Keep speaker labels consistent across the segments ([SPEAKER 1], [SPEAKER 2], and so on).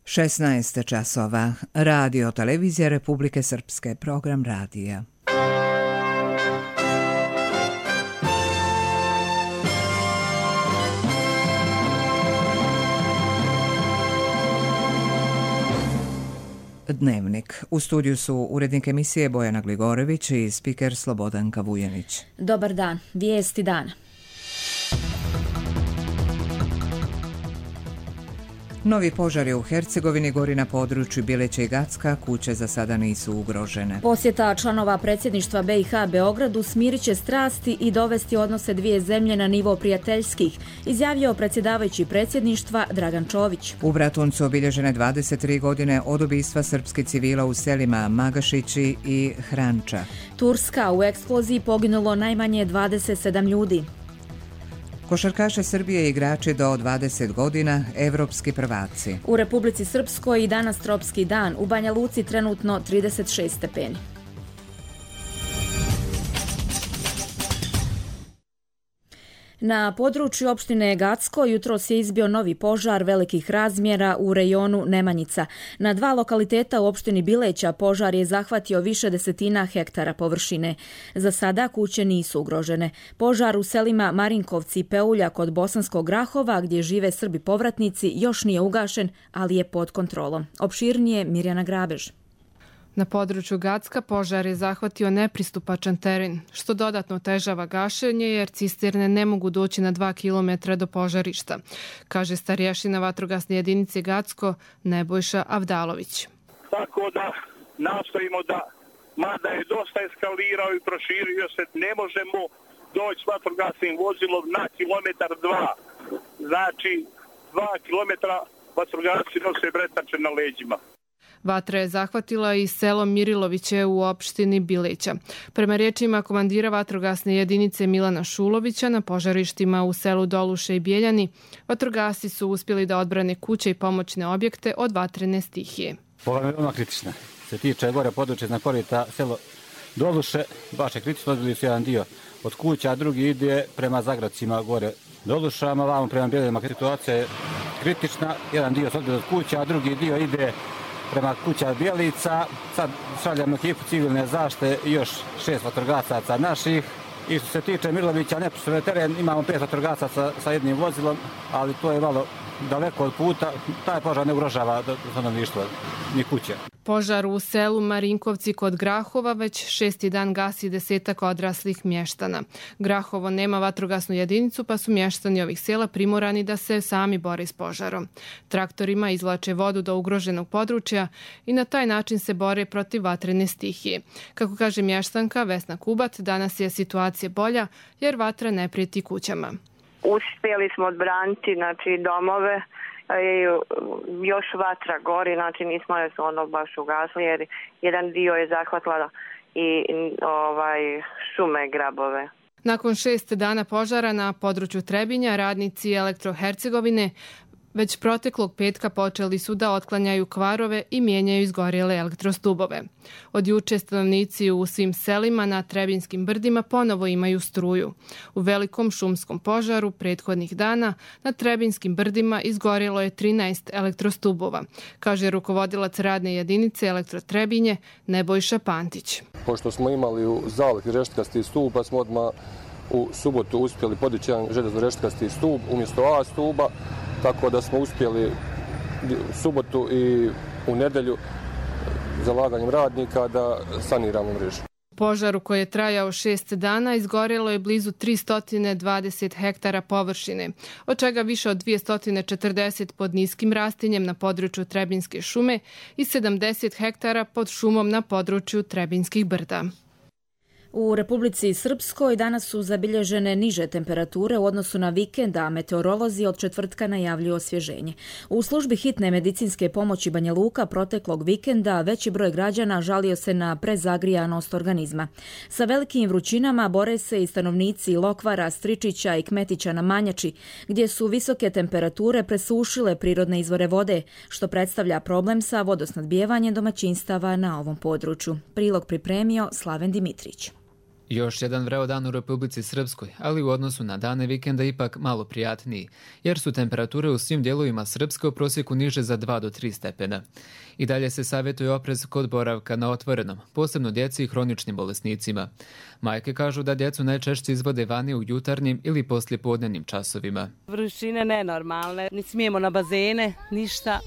[SPEAKER 1] 16 časova. Radio televizija Republike Srpske. Program radija. Dnevnik. U studiju su urednik emisije Bojana Gligorević i spiker Slobodanka Vujanić.
[SPEAKER 2] Dobar dan. Vijesti dana.
[SPEAKER 1] Novi požar je u Hercegovini, gori na području Bileća i Gacka, kuće za sada nisu ugrožene.
[SPEAKER 2] Posjeta članova predsjedništva BiH Beogradu smirit će strasti i dovesti odnose dvije zemlje na nivo prijateljskih, izjavio predsjedavajući predsjedništva Dragan Čović.
[SPEAKER 1] U Bratuncu obilježene 23 godine od ubistva srpskih civila u selima Magašići i Hranča.
[SPEAKER 2] Turska, u eksploziji poginulo najmanje 27 ljudi.
[SPEAKER 1] Košarkaše Srbije i igrači do 20 godina, evropski prvaci.
[SPEAKER 2] U Republici Srpskoj i danas tropski dan, u Banja Luci trenutno 36 stepeni. Na području opštine Gacko jutros je izbio novi požar velikih razmjera u rejonu Nemanjica. Na dva lokaliteta u opštini Bileća požar je zahvatio više desetina hektara površine. Za sada kuće nisu ugrožene. Požar u selima Marinkovci i Peulja kod Bosanskog Grahova, gdje žive Srbi povratnici, još nije ugašen, ali je pod kontrolom. Opširnije Mirjana Grabež.
[SPEAKER 3] Na području Gacka požar je zahvatio nepristupačan teren, što dodatno otežava gašenje jer cisterne ne mogu doći na 2 km do požarišta, kaže starješina vatrogasne jedinice Gacko Nebojša Avdalović.
[SPEAKER 4] Tako da nastojimo da, mada je dosta eskalirao i proširio se, ne možemo doći s vatrogasnim vozilom na kilometar 2. Znači 2 kilometra vatrogasci nose bretače na leđima.
[SPEAKER 3] Vatra je zahvatila i selo Miriloviće u opštini Bileća. Prema riječima komandira vatrogasne jedinice Milana Šulovića, na požarištima u selu Doluše i Bijeljani, vatrogasci su uspjeli da odbrane kuće i pomoćne objekte od vatrene stihije.
[SPEAKER 5] Ova je veoma kritična. Se tiče gore područje na korita selo Doluše, baš je kritično, odbili su jedan dio od kuća, a drugi ide prema Zagradcima gore Dolušama, vamo prema Bijeljama. Situacija je kritična, jedan dio se odbili od kuća, a drugi dio ide prema kuća Bijelica. Sad šaljamo ekipu civilne zaštite i još 6 vatrogasaca naših. I što se tiče Mirovića, neposredno teren, imamo 5 vatrogasaca sa jednim vozilom, ali to je malo daleko od puta. Taj požar ne ugrožava stanovništvo ni kuće.
[SPEAKER 3] Požar u selu Marinkovci kod Grahova već 6. dan gasi 10 odraslih mještana. Grahovo nema vatrogasnu jedinicu, pa su mještani ovih sela primorani da se sami bore s požarom. Traktorima izvlače vodu do ugroženog područja i na taj način se bore protiv vatrene stihije. Kako kaže mještanka Vesna Kubat, danas je situacija bolja jer vatra ne prijeti kućama.
[SPEAKER 6] Uspjeli smo odbraniti domove. Još vatra gori, nismo je baš ugasli jer jedan dio je zahvatila i šume grabove.
[SPEAKER 3] Nakon 6 dana požara na području Trebinja, radnici Elektro-Hercegovine već proteklog petka počeli su da otklanjaju kvarove i mijenjaju izgorjele elektrostubove. Od juče stanovnici u svim selima na Trebinskim brdima ponovo imaju struju. U velikom šumskom požaru prethodnih dana na Trebinskim brdima izgorjelo je 13 elektrostubova, kaže rukovodilac radne jedinice Elektro-Trebinje Nebojša Pantić.
[SPEAKER 7] Pošto smo imali u zalihi reštkasti stup, pa smo odmah u subotu uspjeli podići jedan željezno reštkasti stup umjesto A stuba, tako da smo uspjeli u subotu i u nedjelju zalaganjem radnika da saniramo mrežu.
[SPEAKER 3] Požaru koji je trajao 6 dana izgorjelo je blizu 320 hektara površine, od čega više od 240 pod niskim rastinjem na području Trebinske šume i 70 hektara pod šumom na području Trebinskih brda.
[SPEAKER 2] U Republici Srpskoj danas su zabilježene niže temperature u odnosu na vikend, a meteorolozi od četvrtka najavljuju osvježenje. U službi hitne medicinske pomoći Banja Luka proteklog vikenda veći broj građana žalio se na prezagrijanost organizma. Sa velikim vrućinama bore se i stanovnici Lokvara, Stričića i Kmetića na Manjači, gdje su visoke temperature presušile prirodne izvore vode, što predstavlja problem sa vodosnadbijevanjem domaćinstava na ovom području. Prilog pripremio Slaven Dimitrić.
[SPEAKER 8] Još jedan vreo dan u Republici Srpskoj, ali u odnosu na dane vikenda ipak malo prijatniji, jer su temperature u svim dijelovima Srpske u prosjeku niže za 2 do 3 stepena. I dalje se savjetuje oprez kod boravka na otvorenom, posebno djeci i hroničnim bolesnicima. Majke kažu da djecu najčešće izvode vani u jutarnjim ili poslijepodnevnim časovima.
[SPEAKER 9] Vrućine nenormalne, ni smijemo na bazene, ništa.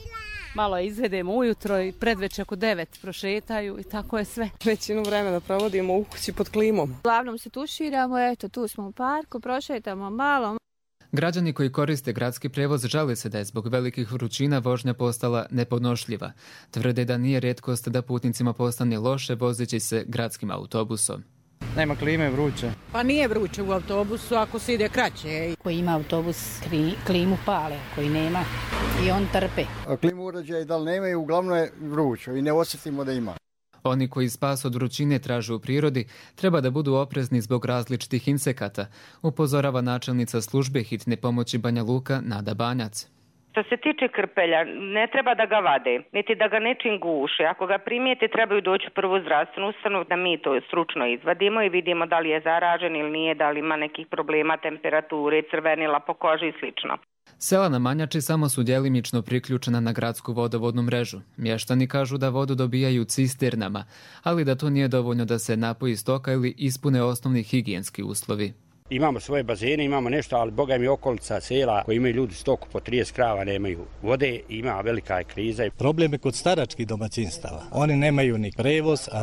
[SPEAKER 9] Malo izvedemo ujutro i predveče oko 9 prošetaju i tako je sve.
[SPEAKER 10] Većinu vremena provodimo u kući pod klimom.
[SPEAKER 11] Uglavnom se tuširamo, eto tu smo u parku, prošetamo malo.
[SPEAKER 8] Građani koji koriste gradski prijevoz žale se da je zbog velikih vrućina vožnja postala nepodnošljiva. Tvrde da nije rijetkost da putnicima postane loše vozeći se gradskim autobusom.
[SPEAKER 12] Nema klime, vruće.
[SPEAKER 13] Pa nije vruće u autobusu ako se ide kraće.
[SPEAKER 14] Koji ima autobus, klimu pale, koji nema i on trpe.
[SPEAKER 15] Klimu uređaja da li nemaju, uglavnom je vruće i ne osjetimo da ima.
[SPEAKER 8] Oni koji spas od vrućine traže u prirodi treba da budu oprezni zbog različitih insekata, upozorava načelnica službe hitne pomoći Banja Luka Nada Banjac.
[SPEAKER 16] Što se tiče krpelja, ne treba da ga vade, niti da ga nečim guše. Ako ga primijete, trebaju doći u prvu zdravstvenu ustanovu da mi to stručno izvadimo i vidimo da li je zaražen ili nije, da li ima nekih problema, temperature, crvenila po koži i slično.
[SPEAKER 8] Sela na Manjači samo su djelimično priključena na gradsku vodovodnu mrežu. Mještani kažu da vodu dobijaju cisternama, ali da to nije dovoljno da se napoji stoka ili ispune osnovni higijenski uslovi.
[SPEAKER 17] Imamo svoje bazene, imamo nešto, ali boga mi okolica sela koji imaju ljudi stoku po 30 krava, nemaju vode, ima velika je kriza.
[SPEAKER 18] Problem je kod staračkih domaćinstava. Oni nemaju ni prevoz, a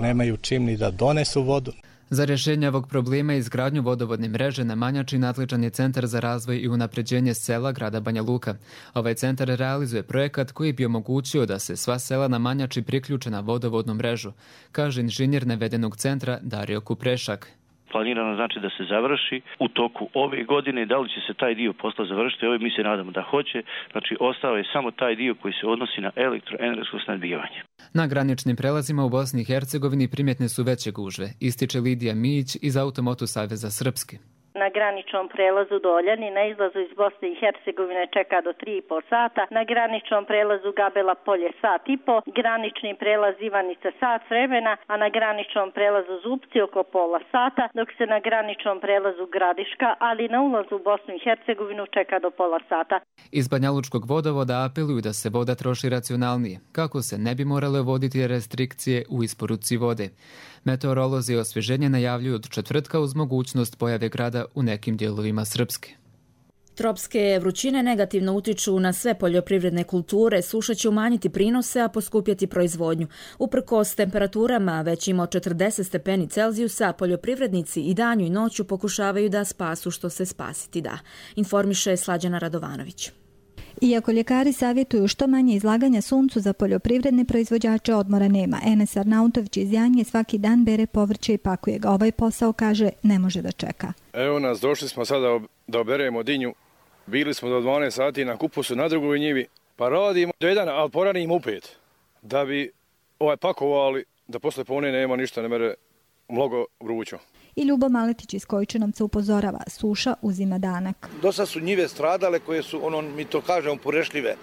[SPEAKER 18] nemaju čim ni da donesu vodu.
[SPEAKER 8] Za rješenje ovog problema i izgradnju vodovodne mreže na Manjači nadležan je Centar za razvoj i unapređenje sela grada Banja Luka. Ovaj centar realizuje projekat koji bi omogućio da se sva sela na Manjači priključe na vodovodnu mrežu, kaže inženjer navedenog centra Dario Kuprešak.
[SPEAKER 19] Planirano znači da se završi u toku ove godine. Da li će se taj dio posla završiti? Mi se nadamo da hoće. Znači, ostao je samo taj dio koji se odnosi na elektroenergetsko snabdijevanje.
[SPEAKER 8] Na graničnim prelazima u Bosni i Hercegovini primjetne su veće gužve, ističe Lidija Mijić iz Automoto Saveza Srpske.
[SPEAKER 20] Na graničnom prelazu Doljani na izlazu iz Bosne i Hercegovine čeka do 3,5 sata, na graničnom prelazu Gabela Polje sat i po, granični prelaz Ivanica sat vremena, a na graničnom prelazu Zupci oko pola sata, dok se na graničnom prelazu Gradiška, ali na ulazu u Bosnu i Hercegovinu čeka do pola sata.
[SPEAKER 8] Iz Banjalučkog vodovoda apeluju da se voda troši racionalnije, kako se ne bi morale uvoditi restrikcije u isporuci vode. Meteorolozi osvježenje najavljuju od četvrtka uz mogućnost pojave grada u nekim dijelovima Srpske.
[SPEAKER 2] Tropske vrućine negativno utiču na sve poljoprivredne kulture, suša će umanjiti prinose, a poskupjeti proizvodnju. Uprkos temperaturama većim od 40 stepeni Celzijusa, poljoprivrednici i danju i noću pokušavaju da spasu što se spasiti da. Informiše Slađana Radovanović.
[SPEAKER 21] Iako ljekari savjetuju što manje izlaganja suncu za poljoprivredne proizvođače, odmora nema. Enes Arnautović iz Janje svaki dan bere povrće i pakuje ga. Ovaj posao, kaže, ne može da čeka.
[SPEAKER 22] Evo nas, došli smo sada da oberemo dinju. Bili smo do 12 sati na kupusu na drugoj njivi, pa radimo do 1, ali poranimo u 5. Da bi pakovali, da posle pone nema ništa, ne mere mnogo vrućo.
[SPEAKER 21] I Ljubo Maletić iz Kojičanovca upozorava, suša uzima danak.
[SPEAKER 23] Dosta su njive stradale koje su, mi to kažemo, porešljive.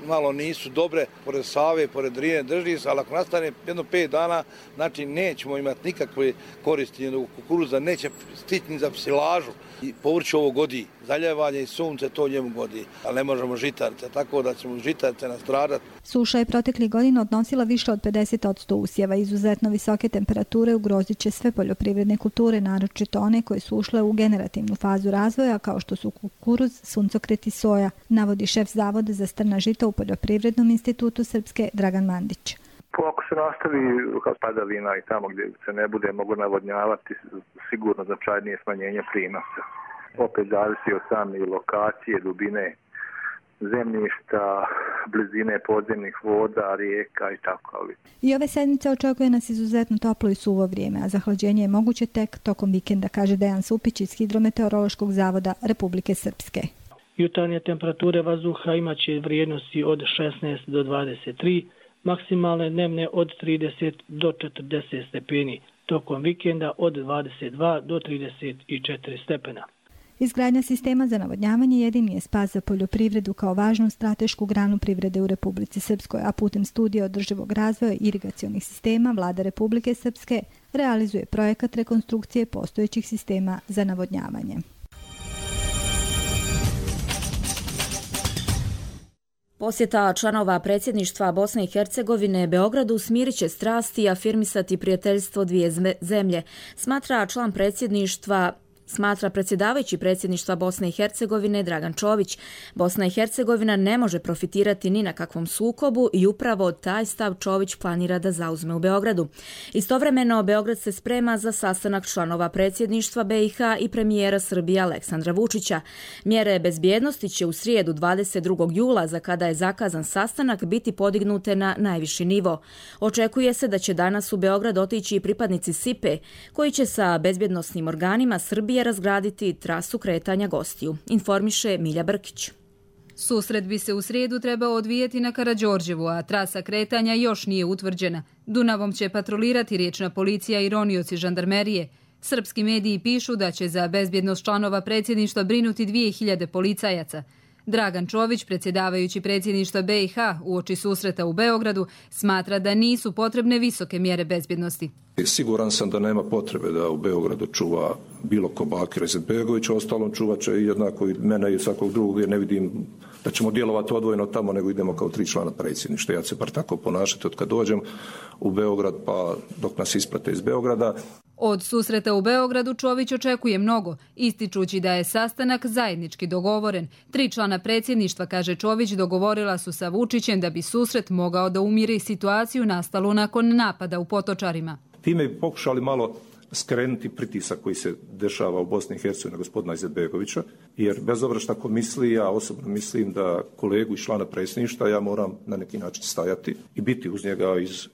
[SPEAKER 23] Malo nisu dobre, pored Save, pored Drine drži se, ali ako nastane jedno 5 dana, znači nećemo imati nikakve koristi, kukuruza neće stići ni za psilažu. I povrće ovo godi, zaljevanje i sunce to njemu godi, ali ne možemo žitarice, tako da ćemo žitarice nastradati.
[SPEAKER 21] Suša je proteklih godina odnosila više od 50% usjeva. Izuzetno visoke temperature ugrozit će sve poljoprivredne kulture, naročito one koje su ušle u generativnu fazu razvoja, kao što su kukuruz, suncokret i soja, navodi šef Zavoda za strna žita u Poljoprivrednom institutu Srpske Dragan Mandić.
[SPEAKER 24] Ako se nastavi padavina i tamo gdje se ne bude mogu navodnjavati, sigurno značajnije smanjenje prinosa. Opet zavisi od same lokacije, dubine zemljišta, blizine podzemnih voda, rijeka i tako.
[SPEAKER 21] I ove sedmice očekuje nas izuzetno toplo i suvo vrijeme, a zahlađenje je moguće tek tokom vikenda, kaže Dejan Supić iz Hidrometeorološkog zavoda Republike Srpske.
[SPEAKER 25] Jutarnje temperature vazduha imaće vrijednosti od 16 do 23, maksimalne dnevne od 30 do 40 stepeni, tokom vikenda od 22 do 34 stepena.
[SPEAKER 21] Izgradnja sistema za navodnjavanje jedini je spas za poljoprivredu kao važnu stratešku granu privrede u Republici Srpskoj, a putem studija održivog razvoja irigacionih sistema Vlada Republike Srpske realizuje projekat rekonstrukcije postojećih sistema za navodnjavanje.
[SPEAKER 2] Posjeta članova predsjedništva Bosne i Hercegovine Beogradu smirit će strasti i afirmisati prijateljstvo dvije zemlje, smatra predsjedavajući predsjedništva Bosne i Hercegovine Dragan Čović. Bosna i Hercegovina ne može profitirati ni na kakvom sukobu i upravo taj stav Čović planira da zauzme u Beogradu. Istovremeno, Beograd se sprema za sastanak članova predsjedništva BiH i premijera Srbije Aleksandra Vučića. Mjere bezbjednosti će u srijedu 22. jula, za kada je zakazan sastanak, biti podignute na najviši nivo. Očekuje se da će danas u Beograd otići i pripadnici SIPE, koji će sa bezbjednosnim organima Srbije razgraditi trasu kretanja gostiju, informiše Milja Brkić.
[SPEAKER 1] Susret bi se u srijedu trebao odvijeti na Karađorđevu, a trasa kretanja još nije utvrđena. Dunavom će patrolirati riječna policija i ronioci žandarmerije. Srpski mediji pišu da će za bezbjednost članova predsjedništva brinuti 2000 policajaca. Dragan Čović, predsjedavajući predsjedništva BiH uoči susreta u Beogradu, smatra da nisu potrebne visoke mjere bezbjednosti.
[SPEAKER 4] Siguran sam da nema potrebe da u Beogradu čuva bilo ko Bakira Izetbegovića, ostalom čuvat će jednako i mene i svakog drugog, jer ne vidim da ćemo djelovati odvojeno tamo, nego idemo kao 3 člana predsjedništva. Ja ću se bar tako ponašati od kad dođem u Beograd pa dok nas isprate iz Beograda.
[SPEAKER 1] Od susreta u Beogradu Čović očekuje mnogo, ističući da je sastanak zajednički dogovoren. 3 člana predsjedništva, kaže Čović, dogovorila su sa Vučićem da bi susret mogao da umiri situaciju nastalu nakon napada u Potočarima.
[SPEAKER 4] Time bi pokušali malo skrenuti pritisak koji se dešava u Bosni i Hercegovini na gospodina Izetbegovića, jer bez obzira šta ko misli, ja osobno mislim da kolegu i člana predsjedništva ja moram na neki način stajati i biti uz njega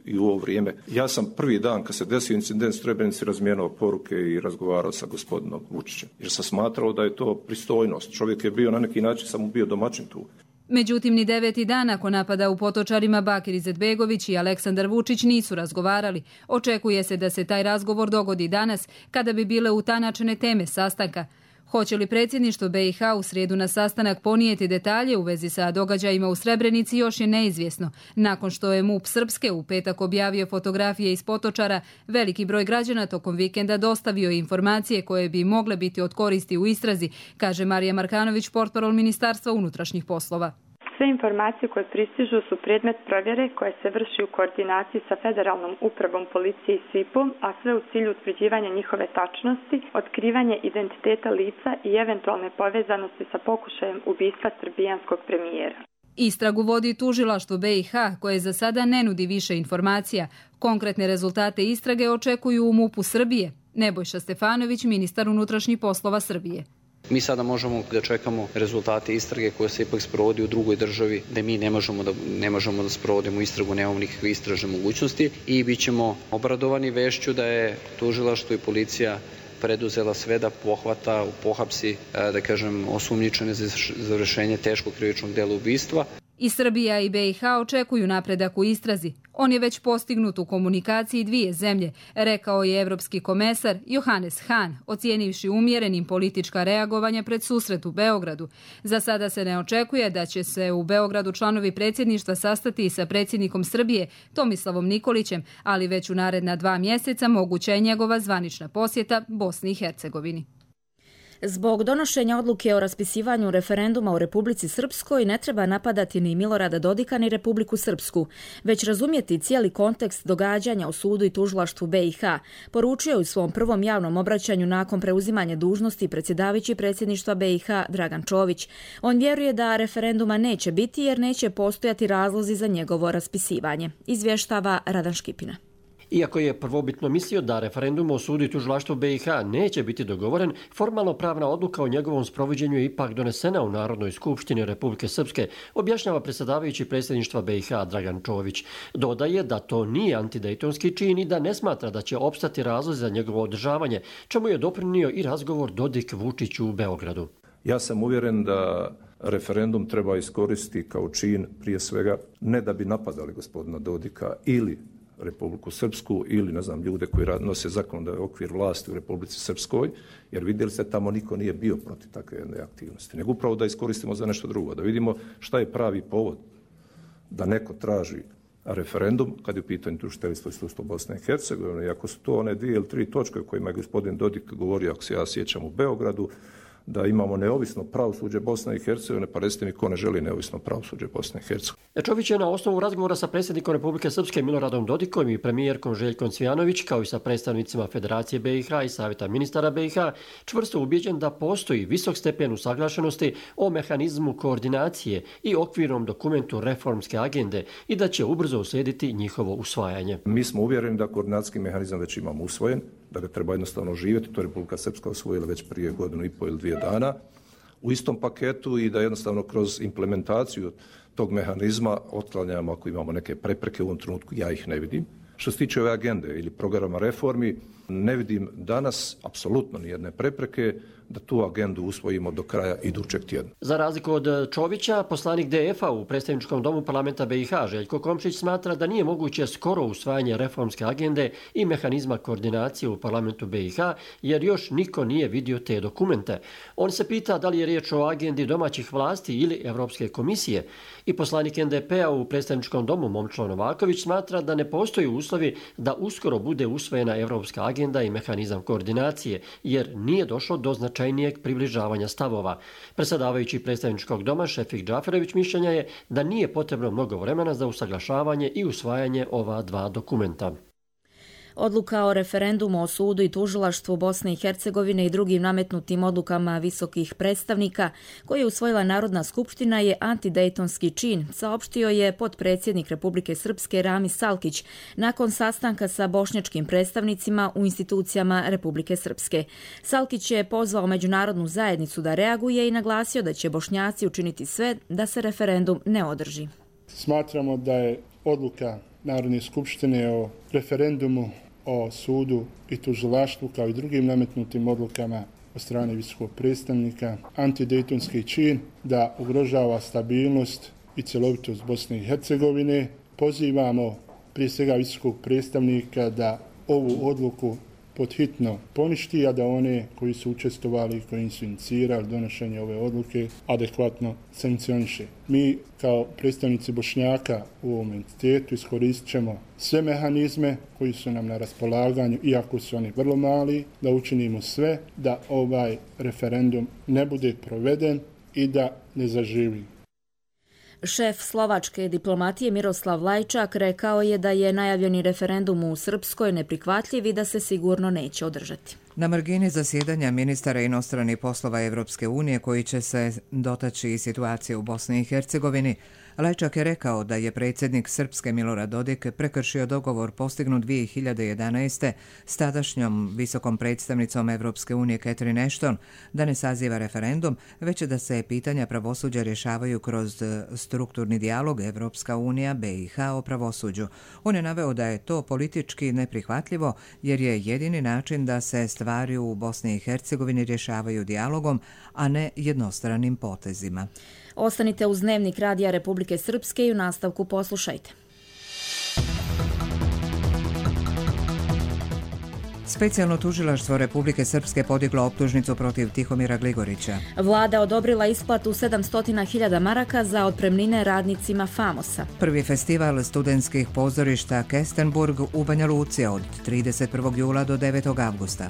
[SPEAKER 4] i u ovo vrijeme. Ja sam prvi dan kad se desio incident u Srebrenici razmijenio poruke i razgovarao sa gospodinom Vučićem, jer sam smatrao da je to pristojnost. Čovjek je bio na neki način, sam mu bio domaćin tu.
[SPEAKER 1] Međutim, ni 9. dan nakon napada u Potočarima Bakir Izetbegović i Aleksandar Vučić nisu razgovarali. Očekuje se da se taj razgovor dogodi danas, kada bi bile utanačene teme sastanka. Hoće li predsjedništvo BiH u srijedu na sastanak ponijeti detalje u vezi sa događajima u Srebrenici još je neizvjesno. Nakon što je MUP Srpske u petak objavio fotografije iz Potočara, veliki broj građana tokom vikenda dostavio informacije koje bi mogle biti od koristi u istrazi, kaže Marija Markanović, portparol Ministarstva unutrašnjih poslova.
[SPEAKER 5] Sve informacije koje pristižu su predmet provjere koje se vrši u koordinaciji sa Federalnom upravom policije i SIP-om, a sve u cilju utvrđivanja njihove tačnosti, otkrivanje identiteta lica i eventualne povezanosti sa pokušajem ubistva srbijanskog premijera.
[SPEAKER 1] Istragu vodi tužilaštvo BiH, koje za sada ne nudi više informacija. Konkretne rezultate istrage očekuju u MUP-u Srbije. Nebojša Stefanović, ministar unutrašnjih poslova Srbije.
[SPEAKER 6] Mi sada možemo da čekamo rezultate istrage koje se ipak sprovodi u drugoj državi, da mi ne možemo da sprovodimo istragu, nemamo nikakve istražne mogućnosti i bit ćemo obradovani vešću da je tužilaštvo i policija preduzela sve da pohapsi, da kažem, osumnjičene za vršenje teškog krivičnog dela ubistva.
[SPEAKER 1] I Srbija i BiH očekuju napredak u istrazi. On je već postignut u komunikaciji dvije zemlje, rekao je evropski komesar Johannes Hahn, ocijenivši umjerenim politička reagovanja pred susret u Beogradu. Za sada se ne očekuje da će se u Beogradu članovi predsjedništva sastati sa predsjednikom Srbije Tomislavom Nikolićem, ali već u naredna 2 mjeseca moguća je njegova zvanična posjeta Bosni i Hercegovini.
[SPEAKER 2] Zbog donošenja odluke o raspisivanju referenduma u Republici Srpskoj ne treba napadati ni Milorada Dodika ni Republiku Srpsku, već razumjeti cijeli kontekst događanja u sudu i tužilaštvu BiH, poručio je u svom prvom javnom obraćanju nakon preuzimanja dužnosti predsjedavajući predsjedništva BiH Dragan Čović. On vjeruje da referenduma neće biti jer neće postojati razlozi za njegovo raspisivanje, izvještava Radan Škipina.
[SPEAKER 7] Iako je prvobitno mislio da referendum o sudu i tužilaštvu BiH neće biti dogovoren, formalno pravna odluka o njegovom sprovođenju je ipak donesena u Narodnoj skupštini Republike Srpske, objašnjava predsjedavajući predsjedništva BiH Dragan Čović. Dodaje da to nije antidejtonski čin i da ne smatra da će opstati razlozi za njegovo održavanje, čemu je doprinio i razgovor Dodik-Vučić u Beogradu.
[SPEAKER 4] Ja sam uvjeren da referendum treba iskoristiti kao čin prije svega ne da bi napadali gospodina Dodika ili Republiku Srpsku ili, ne znam, ljude koji nose zakonodavni okvir vlasti u Republici Srpskoj, jer vidjeli ste tamo niko nije bio protiv takve jedne aktivnosti, nego upravo da iskoristimo za nešto drugo, da vidimo šta je pravi povod da neko traži referendum kad je u pitanju tužiteljstvo i sudstvo Bosne i Hercegovine. I ako su to one 2 ili 3 točke o kojima je gospodin Dodik govorio, ako se ja sjećam, u Beogradu, da imamo neovisno pravosuđe Bosne i Hercegovine, pa recite mi ko ne želi neovisno pravosuđe Bosne i Hercegovine.
[SPEAKER 7] Čović je na osnovu razgovora sa predsjednikom Republike Srpske Miloradom Dodikom i premijerkom Željkom Cvijanović, kao i sa predstavnicima Federacije BiH i Savjeta ministara BiH, čvrsto ubijeđen da postoji visok stepen usaglašenosti o mehanizmu koordinacije i okvirnom dokumentu reformske agende i da će ubrzo uslijediti njihovo usvajanje.
[SPEAKER 4] Mi smo uvjereni da koordinacijski mehanizam već imamo usvojen, da ga treba jednostavno živjeti, to je Republika Srpska usvojila već prije 1,5 ili 2 dana u istom paketu i da jednostavno kroz implementaciju tog mehanizma otklanjamo ako imamo neke prepreke, u ovom trenutku ja ih ne vidim. Što se tiče ove agende ili programa reformi, ne vidim danas apsolutno nijedne prepreke da tu agendu usvojimo do kraja idućeg tjedna.
[SPEAKER 7] Za razliku od Čovića, poslanik DF-a u predstavničkom domu parlamenta BiH Željko Komšić smatra da nije moguće skoro usvajanje reformske agende i mehanizma koordinacije u parlamentu BiH, jer još niko nije vidio te dokumente. On se pita da li je riječ o agendi domaćih vlasti ili Evropske komisije. I poslanik NDP-a u predstavničkom domu Momčilo Novaković smatra da ne postoji uslovi da uskoro bude usvojena evropska agenda i mehanizam koordinacije, jer nije došlo do značajnijeg približavanja stavova. Predsjedavajući predstavničkog doma Šefik Džaferević mišljenja je da nije potrebno mnogo vremena za usaglašavanje i usvajanje ova 2 dokumenta.
[SPEAKER 2] Odluka o referendumu o sudu i tužilaštvu Bosne i Hercegovine i drugim nametnutim odlukama visokih predstavnika koje je usvojila Narodna skupština je antidejtonski čin, saopštio je potpredsjednik Republike Srpske Ramis Salkić nakon sastanka sa bošnjačkim predstavnicima u institucijama Republike Srpske. Salkić je pozvao međunarodnu zajednicu da reaguje i naglasio da će Bošnjaci učiniti sve da se referendum ne održi.
[SPEAKER 3] Smatramo da je odluka Narodne skupštine o referendumu o sudu i tužilaštvu kao i drugim nametnutim odlukama od strane visokog predstavnika antidejtonski čin da ugrožava stabilnost i cjelovitost Bosne i Hercegovine. Pozivamo prije svega visokog predstavnika da ovu odluku podhitno poništi, a da one koji su učestvovali i koji su inicirali donošenje ove odluke adekvatno sankcioniše. Mi kao predstavnici Bošnjaka u ovom entitetu iskoristit ćemo sve mehanizme koji su nam na raspolaganju, iako su oni vrlo mali, da učinimo sve da ovaj referendum ne bude proveden i da ne zaživi.
[SPEAKER 2] Šef slovačke diplomatije Miroslav Lajčak rekao je da je najavljeni referendum u Srpskoj neprihvatljiv i da se sigurno neće održati.
[SPEAKER 9] Na margini zasjedanja ministara inostranih poslova Evropske unije koji će se dotaći i situacije u Bosni i Hercegovini, Lajčak je rekao da je predsjednik Srpske Milorad Dodik prekršio dogovor postignut 2011. s tadašnjom visokom predstavnicom Evropske unije Catherine Ashton da ne saziva referendum, već da se pitanja pravosuđa rješavaju kroz strukturni dijalog Evropska unija BiH o pravosuđu. On je naveo da je to politički neprihvatljivo jer je jedini način da se stvari u Bosni i Hercegovini rješavaju dijalogom, a ne jednostranim potezima.
[SPEAKER 2] Ostanite uz Dnevnik Radija Republike Srpske i u nastavku poslušajte.
[SPEAKER 9] Specijalno tužilaštvo Republike Srpske podiglo optužnicu protiv Tihomira Gligorića.
[SPEAKER 2] Vlada odobrila isplatu 700.000 maraka za otpremnine radnicima Famosa.
[SPEAKER 9] Prvi festival studentskih pozorišta Kestenburg u Banja Luci od 31. jula do 9. avgusta.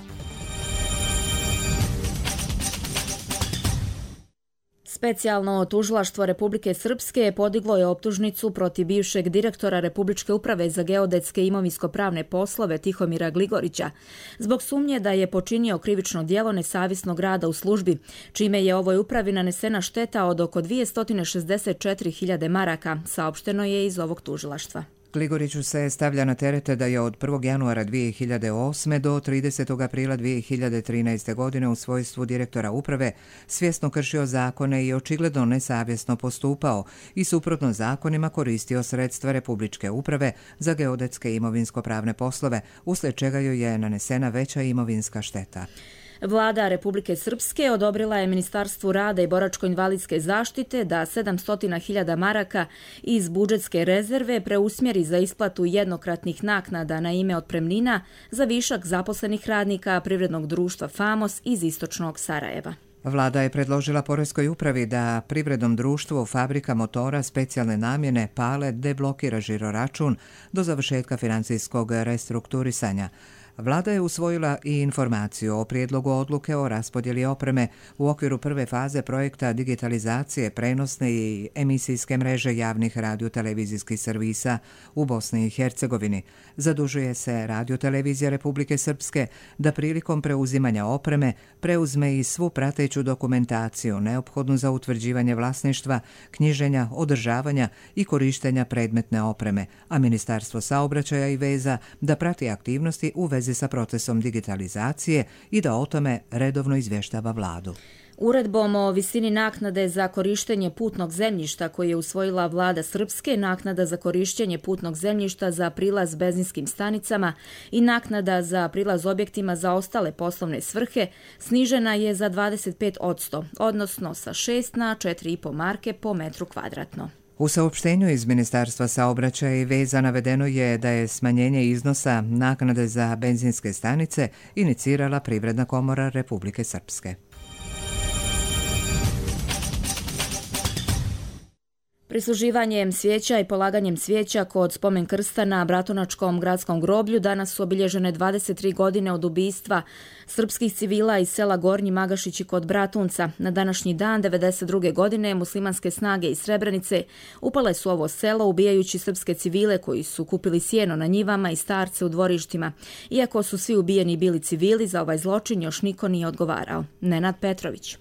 [SPEAKER 2] Specijalno tužilaštvo Republike Srpske podiglo je optužnicu protiv bivšeg direktora Republičke uprave za geodetske i imovinsko-pravne poslove Tihomira Gligorića zbog sumnje da je počinio krivično djelo nesavjesnog rada u službi, čime je ovoj upravi nanesena šteta od oko 264.000 maraka, saopšteno je iz ovog tužilaštva.
[SPEAKER 9] Gligoriću se stavlja na terete da je od 1. januara 2008. do 30. aprila 2013. godine u svojstvu direktora uprave svjesno kršio zakone i očigledno nesavjesno postupao i suprotno zakonima koristio sredstva Republičke uprave za geodetske i imovinsko-pravne poslove, uslijed čega joj je nanesena veća imovinska šteta.
[SPEAKER 2] Vlada Republike Srpske odobrila je Ministarstvu rada i boračko-invalidske zaštite da 700.000 maraka iz budžetske rezerve preusmjeri za isplatu jednokratnih naknada na ime otpremnina za višak zaposlenih radnika Privrednog društva Famos iz istočnog Sarajeva.
[SPEAKER 9] Vlada je predložila Poreskoj upravi da Privrednom društvu Fabrika motora specijalne namjene Pale deblokira žiroračun do završetka financijskog restrukturisanja. Vlada je usvojila i informaciju o prijedlogu odluke o raspodjeli opreme u okviru prve faze projekta digitalizacije prenosne i emisijske mreže javnih radiotelevizijskih servisa u Bosni i Hercegovini. Zadužuje se Radiotelevizija Republike Srpske da prilikom preuzimanja opreme preuzme i svu prateću dokumentaciju neophodnu za utvrđivanje vlasništva, knjiženja, održavanja i korištenja predmetne opreme, a Ministarstvo saobraćaja i veza da prati aktivnosti u vezi sa procesom digitalizacije i da o tome redovno izvještava vladu.
[SPEAKER 2] Uredbom o visini naknade za korištenje putnog zemljišta koje je usvojila vlada Srpske, naknada za korištenje putnog zemljišta za prilaz benzinskim stanicama i naknada za prilaz objektima za ostale poslovne svrhe snižena je za 25%, odnosno sa 6 na 4,5 marke po metru kvadratno.
[SPEAKER 9] U saopštenju iz Ministarstva saobraćaja i veza navedeno je da je smanjenje iznosa naknade za benzinske stanice inicirala Privredna komora Republike Srpske.
[SPEAKER 2] Prisluživanjem svijeća i polaganjem svijeća kod spomen krsta na Bratunačkom gradskom groblju danas su obilježene 23 godine od ubistva srpskih civila iz sela Gornji Magašići kod Bratunca. Na današnji dan 92. godine muslimanske snage iz Srebrenice upale su ovo selo ubijajući srpske civile koji su kupili sjeno na njivama i starce u dvorištima. Iako su svi ubijeni bili civili, za ovaj zločin još niko nije odgovarao. Nenad Petrović.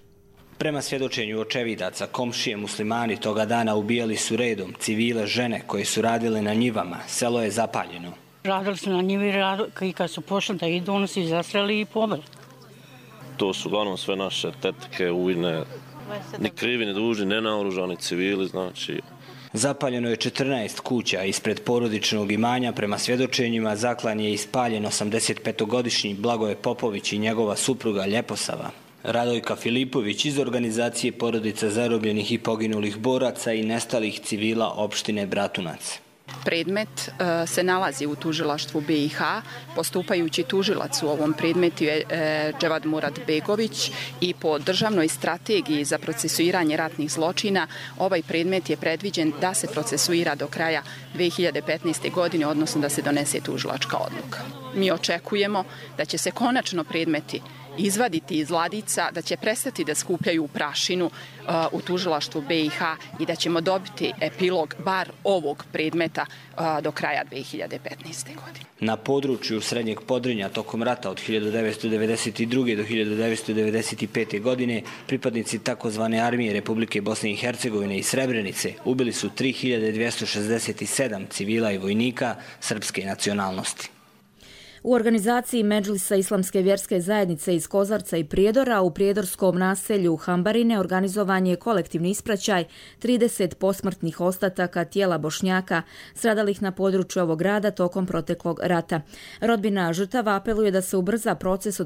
[SPEAKER 10] Prema svjedočenju očevidaca, komšije muslimani toga dana ubijali su redom civile žene koje su radile na njivama. Selo je zapaljeno.
[SPEAKER 11] Radili su na njivi i kad su pošli da idu, oni su ih zastreli i pobili.
[SPEAKER 12] To su uglavnom sve naše tetke, ujne, ni krivi, ni dužni, nenaoružani civili, znači.
[SPEAKER 10] Zapaljeno je 14 kuća ispred porodičnog imanja. Prema svjedočenjima zaklan je ispaljen 85-godišnji Blagoje Popović i njegova supruga Ljeposava. Radojka Filipović iz organizacije porodica zarobljenih i poginulih boraca i nestalih civila opštine Bratunac.
[SPEAKER 13] Predmet se nalazi u tužilaštvu BiH. Postupajući tužilac u ovom predmetu je Dževad Murad Begović i po državnoj strategiji za procesuiranje ratnih zločina ovaj predmet je predviđen da se procesuira do kraja 2015. godine, odnosno da se donese tužilačka odluka. Mi očekujemo da će se konačno predmeti izvaditi iz ladica, da će prestati da skupljaju prašinu u tužilaštvu BiH i da ćemo dobiti epilog bar ovog predmeta do kraja 2015. godine.
[SPEAKER 10] Na području Srednjeg Podrinja tokom rata od 1992. do 1995. godine pripadnici takozvane armije Republike Bosne i Hercegovine i Srebrenice ubili su 3267 civila i vojnika srpske nacionalnosti.
[SPEAKER 2] U organizaciji Medžlisa Islamske vjerske zajednice iz Kozarca i Prijedora u prijedorskom naselju Hambarine organizovan je kolektivni ispraćaj 30 posmrtnih ostataka tijela Bošnjaka stradalih na području ovog grada tokom proteklog rata. Rodbina žrtava apeluje da se ubrza proces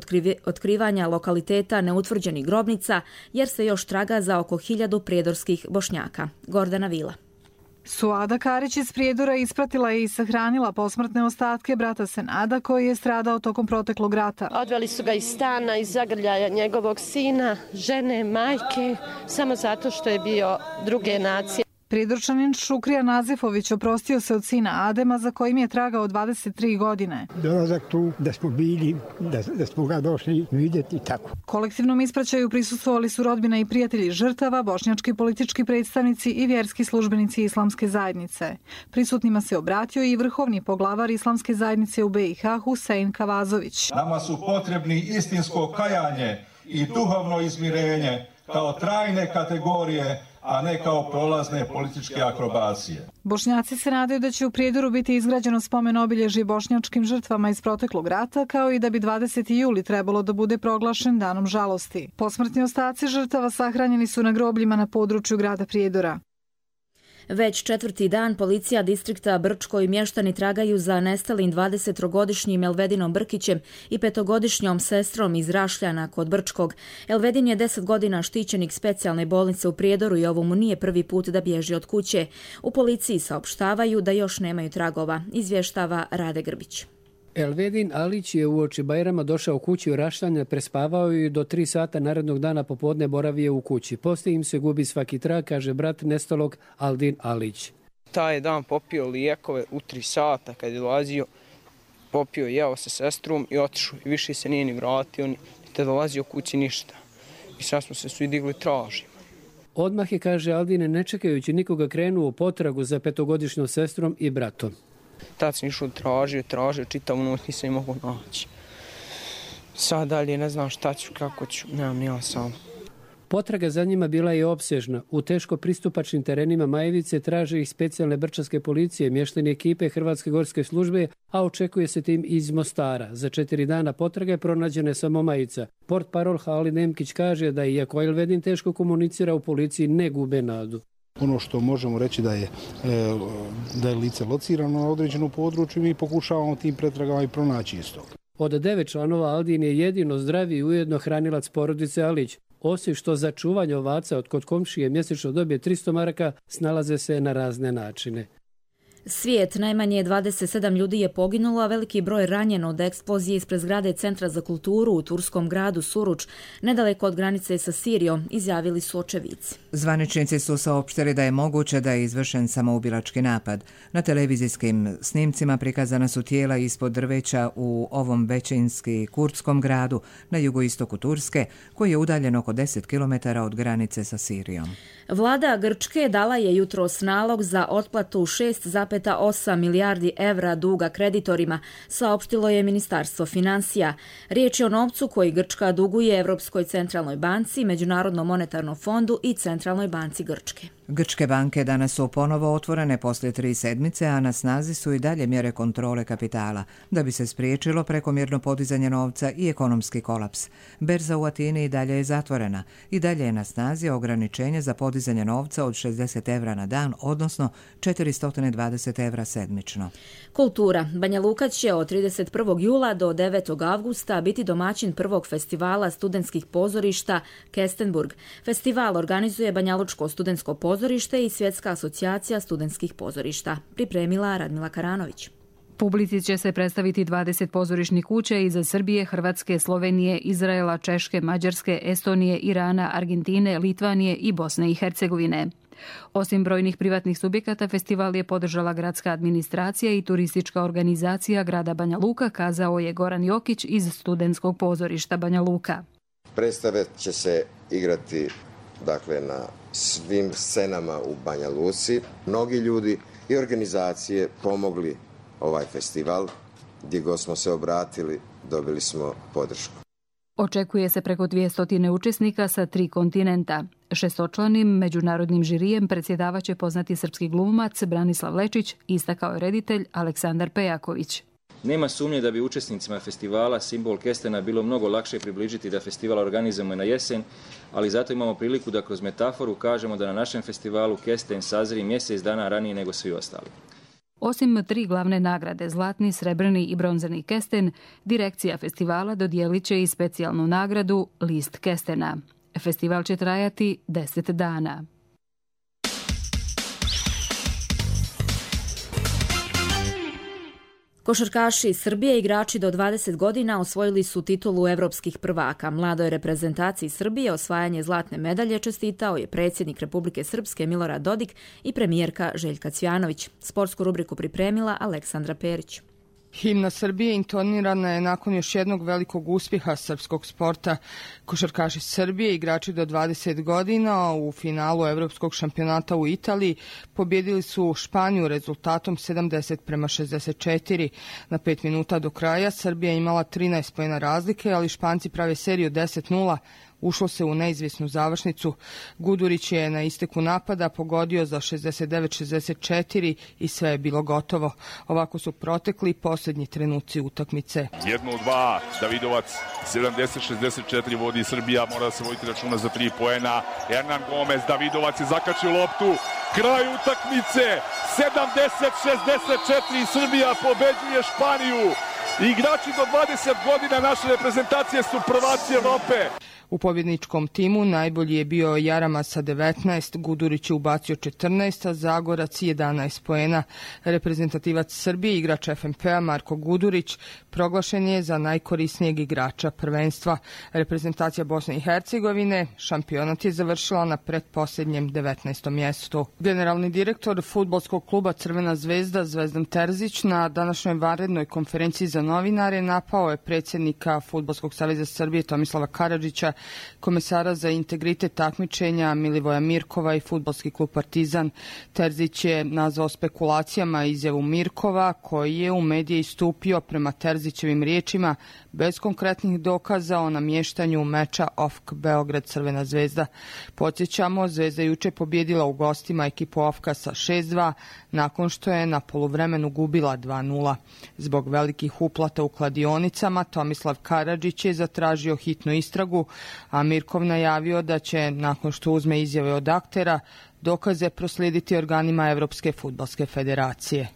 [SPEAKER 2] otkrivanja lokaliteta neutvrđenih grobnica jer se još traga za oko 1000 prijedorskih Bošnjaka. Gordana Vila.
[SPEAKER 14] Suada Karić iz Prijedora ispratila je i sahranila posmrtne ostatke brata Senada koji je stradao tokom proteklog rata.
[SPEAKER 26] Odveli su ga iz stana, iz zagrljaja njegovog sina, žene, majke, samo zato što je bio druge nacije.
[SPEAKER 14] Prijedorčanin Šukrija Nazifović oprostio se od sina Adema za kojim je tragao 23 godine.
[SPEAKER 27] Dolazak tu, da smo bili, da smo ga došli vidjeti i tako.
[SPEAKER 14] Kolektivnom ispraćaju prisustvovali su rodbina i prijatelji žrtava, bošnjački politički predstavnici i vjerski službenici Islamske zajednice. Prisutnima se obratio i vrhovni poglavar Islamske zajednice u BiH Husein Kavazović.
[SPEAKER 28] Nama su potrebni istinsko kajanje i duhovno izmirenje kao trajne kategorije, a ne kao prolazne političke akrobacije.
[SPEAKER 14] Bošnjaci se nadaju da će u Prijedoru biti izgrađeno spomen obilježje bošnjačkim žrtvama iz proteklog rata, kao i da bi 20. juli trebalo da bude proglašen danom žalosti. Posmrtni ostaci žrtava sahranjeni su na grobljima na području grada Prijedora.
[SPEAKER 2] Već četvrti dan policija distrikta Brčko i mještani tragaju za nestalim 20-godišnjim Elvedinom Brkićem i 5-godišnjom sestrom iz Rašljana kod Brčkog. Elvedin je 10 godina štićenik specijalne bolnice u Prijedoru i ovo mu nije prvi put da bježi od kuće. U policiji saopštavaju da još nemaju tragova, izvještava Rade Grbić.
[SPEAKER 8] Elvedin Alić je uoči Bajrama došao kući u Rašljane, prespavao i do 3 sata narednog dana popodne boravio u kući. Poslije im se gubi svaki trag, kaže brat nestalog Aldin Alić.
[SPEAKER 15] Taj dan popio lijekove u 3 sata kad je dolazio, popio, jeo sa sestrom i otišao. I više se nije ni vratio, te dolazio kući ništa. I sad smo se svi digli tražimo.
[SPEAKER 8] Odmah je, kaže Aldine, ne čekajući nikoga krenuo u potragu za 5-godišnjom sestrom i bratom.
[SPEAKER 15] Tad sam išao tražio, čitavu noć nisam mogao naći. Sad dalje ne znam šta ću, kako ću, nemam ni ja sam.
[SPEAKER 8] Potraga za njima bila je opsežna. U teško pristupačnim terenima Majevice traže ih specijalne brčanske policije, mještani ekipe Hrvatske gorske službe, a očekuje se tim iz Mostara. Za 4 dana potrage pronađena je samo Majica. Portparol Halid Nemkić kaže da iako Elvedin teško komunicira, u policiji ne gube nadu.
[SPEAKER 16] Ono što možemo reći da je lice locirano na određenom području, mi pokušavamo tim pretragama i pronaći isto.
[SPEAKER 8] Od 9 članova Aldin je jedino zdravi i ujedno hranilac porodice Alić. Osim što za čuvanje ovaca od kod komšije mjesečno dobije 300 maraka, snalaze se na razne načine.
[SPEAKER 2] Svijet, najmanje 27 ljudi je poginulo, a veliki broj ranjeno od eksplozije ispred zgrade Centra za kulturu u turskom gradu Suruč, nedaleko od granice sa Sirijom, izjavili su očevici.
[SPEAKER 9] Zvaničnici su saopštili da je moguće da je izvršen samoubilački napad. Na televizijskim snimcima prikazana su tijela ispod drveća u ovom većinski kurdskom gradu na jugoistoku Turske, koji je udaljen oko 10 km od granice sa Sirijom.
[SPEAKER 2] Vlada Grčke dala je jutros nalog za otplatu 6,8 milijardi evra duga kreditorima, saopštilo je Ministarstvo financija. Riječ je o novcu koji Grčka duguje Europskoj centralnoj banci, Međunarodnom monetarnom fondu i Centralnoj banci Grčke.
[SPEAKER 9] Grčke banke danas su ponovo otvorene poslije 3 sedmice, a na snazi su i dalje mjere kontrole kapitala, da bi se spriječilo prekomjerno podizanje novca i ekonomski kolaps. Berza u Atini i dalje je zatvorena. I dalje je na snazi ograničenje za podizanje novca od 60 evra na dan, odnosno 420 evra sedmično.
[SPEAKER 2] Kultura. Banja Luka će od 31. jula do 9. avgusta biti domaćin prvog festivala studentskih pozorišta Kestenburg. Festival organizuje Banjalučko studentsko pozorište i Svjetska asocijacija studentskih pozorišta. Pripremila Radmila Karanović.
[SPEAKER 1] Publici će se predstaviti 20 pozorišnih kuća iz Srbije, Hrvatske, Slovenije, Izraela, Češke, Mađarske, Estonije, Irana, Argentine, Litvanije i Bosne i Hercegovine. Osim brojnih privatnih subjekata, festival je podržala gradska administracija i turistička organizacija grada Banja Luka, kazao je Goran Jokić iz studentskog pozorišta Banja Luka.
[SPEAKER 17] Predstave će se igrati na svim scenama u Banja Luci. Mnogi ljudi i organizacije pomogli ovaj festival. Gdje god smo se obratili, dobili smo podršku.
[SPEAKER 1] Očekuje se preko 200 učesnika sa 3 kontinenta. 6-članim međunarodnim žirijem predsjedavaće poznati srpski glumac Branislav Lečić, istakao je reditelj Aleksandar Pejaković.
[SPEAKER 18] Nema sumnje da bi učesnicima festivala simbol kestena bilo mnogo lakše približiti da festival organizujemo na jesen, ali zato imamo priliku da kroz metaforu kažemo da na našem festivalu kesten sazri mjesec dana ranije nego svi ostali.
[SPEAKER 1] Osim 3 glavne nagrade, zlatni, srebrni i bronzani kesten, direkcija festivala dodijelit će i specijalnu nagradu List kestena. Festival će trajati 10 dana.
[SPEAKER 2] Košarkaši Srbije, igrači do 20 godina, osvojili su titulu evropskih prvaka. Mladoj reprezentaciji Srbije osvajanje zlatne medalje čestitao je predsjednik Republike Srpske Milorad Dodik i premijerka Željka Cvjanović. Sportsku rubriku pripremila Aleksandra Perić.
[SPEAKER 19] Himna Srbije intonirana je nakon još jednog velikog uspjeha srpskog sporta. Košarkaši Srbije, igrači do 20 godina, u finalu Evropskog šampionata u Italiji pobjedili su Španiju rezultatom 70-64. Na 5 minuta do kraja Srbija imala 13 poena razlike, ali Španci prave seriju 10-0. ušlo se u neizvjesnu završnicu. Gudurić je na isteku napada pogodio za 69-64 i sve je bilo gotovo. Ovako su protekli posljednji trenuci utakmice.
[SPEAKER 5] 1-2, Davidovac 70-64 vodi Srbija, mora da se voditi računa za 3 poena. Hernan Gomez, Davidovac je zakačio loptu, kraj utakmice, 70-64, Srbija pobeđuje Španiju. Igrači do 20 godina naše reprezentacije su prvaci Evrope.
[SPEAKER 19] U pobjedničkom timu najbolji je bio Jarama sa 19, Gudurić je ubacio 14, a Zagorac 11 poena. Reprezentativac Srbije, igrač FNP-a Marko Gudurić, proglašen je za najkorisnijeg igrača prvenstva. Reprezentacija Bosne i Hercegovine šampionat je završila na pretposljednjem 19. mjestu. Generalni direktor fudbalskog kluba Crvena zvezda Zvezdan Terzić na današnjoj vanrednoj konferenciji za novinare napao je predsjednika Fudbalskog saveza Srbije Tomislava Karadžića, komesara za integritet takmičenja Milivoja Mirkova i fudbalski klub Partizan. Terzić je nazvao spekulacijama izjavu Mirkova, koji je u medije istupio prema Terzićevim riječima bez konkretnih dokaza o namještanju meča OFK Beograd Crvena zvezda. Podsjećamo, Zvezda juče pobjedila u gostima ekipu OFK-a sa 6-2 nakon što je na poluvremenu gubila 2-0. Zbog velikih uplata u kladionicama Tomislav Karadžić je zatražio hitnu istragu, a Mirkov najavio da će, nakon što uzme izjave od aktera, dokaze proslijediti organima Evropske fudbalske federacije.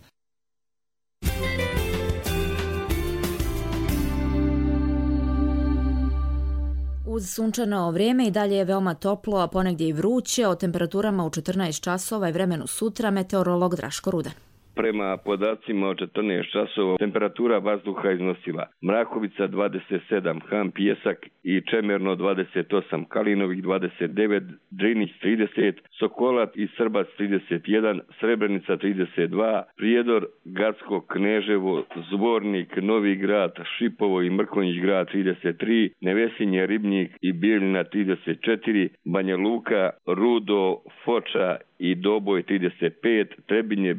[SPEAKER 2] Uz sunčano vrijeme i dalje je veoma toplo, a ponegdje i vruće. O temperaturama u 14 časova i vremenu sutra meteorolog Draško Rudan.
[SPEAKER 6] Prema podacima od 14 časova temperatura vazduha iznosila Mrakovica 27, Han Pijesak i Čemerno 28, Kalinovih 29, Drinić 30, Sokolac i Srbac 31, Srebrenica 32, Prijedor, Gacko, Kneževo, Zvornik, Novi Grad, Šipovo i Mrkonjić grad 33, Nevesinje, Ribnjik i Bijeljina 34, Banja Luka, Rudo, Foča i Doboj 35, Trebinje,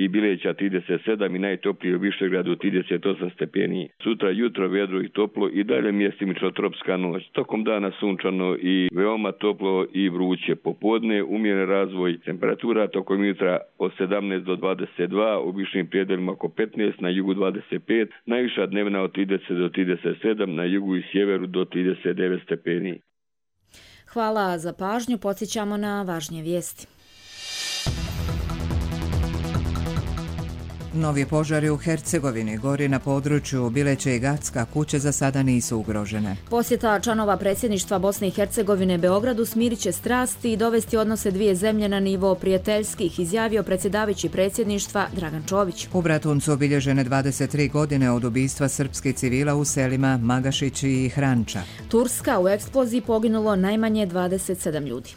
[SPEAKER 6] Bileća 37 i najtoplije u Višegradu 38 stepeni. Sutra jutro vedro i toplo i dalje mjestimično tropska noć. Tokom dana sunčano i veoma toplo i vruće. Popodne umjeren razvoj temperatura tokom jutra od 17 do 22, u višim prijedelima oko 15, na jugu 25, najviša dnevna od 30 do 37, na jugu i sjeveru do 39 stepeni.
[SPEAKER 2] Hvala za pažnju, podsjećamo na važnije vijesti.
[SPEAKER 9] Novi požari u Hercegovini, gori na području Bileće i Gacka, kuće za sada nisu ugrožene.
[SPEAKER 2] Posjeta članova predsjedništva Bosne i Hercegovine Beogradu smirit će strasti i dovesti odnose dvije zemlje na nivo prijateljskih, izjavio predsjedavajući predsjedništva Dragan Čović.
[SPEAKER 9] U Bratuncu obilježene 23 godine od ubistva srpskih civila u selima Magašić i Hranča.
[SPEAKER 2] Turska, u eksploziji poginulo najmanje 27 ljudi.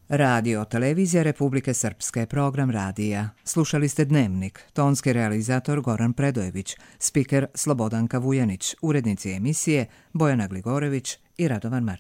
[SPEAKER 9] Radio Televizija Republike Srpske, program radija. Slušali ste Dnevnik, tonski realizator Goran Predojević, spiker Slobodanka Vujanić, urednici emisije Bojana Gligorević i Radovan Martinović.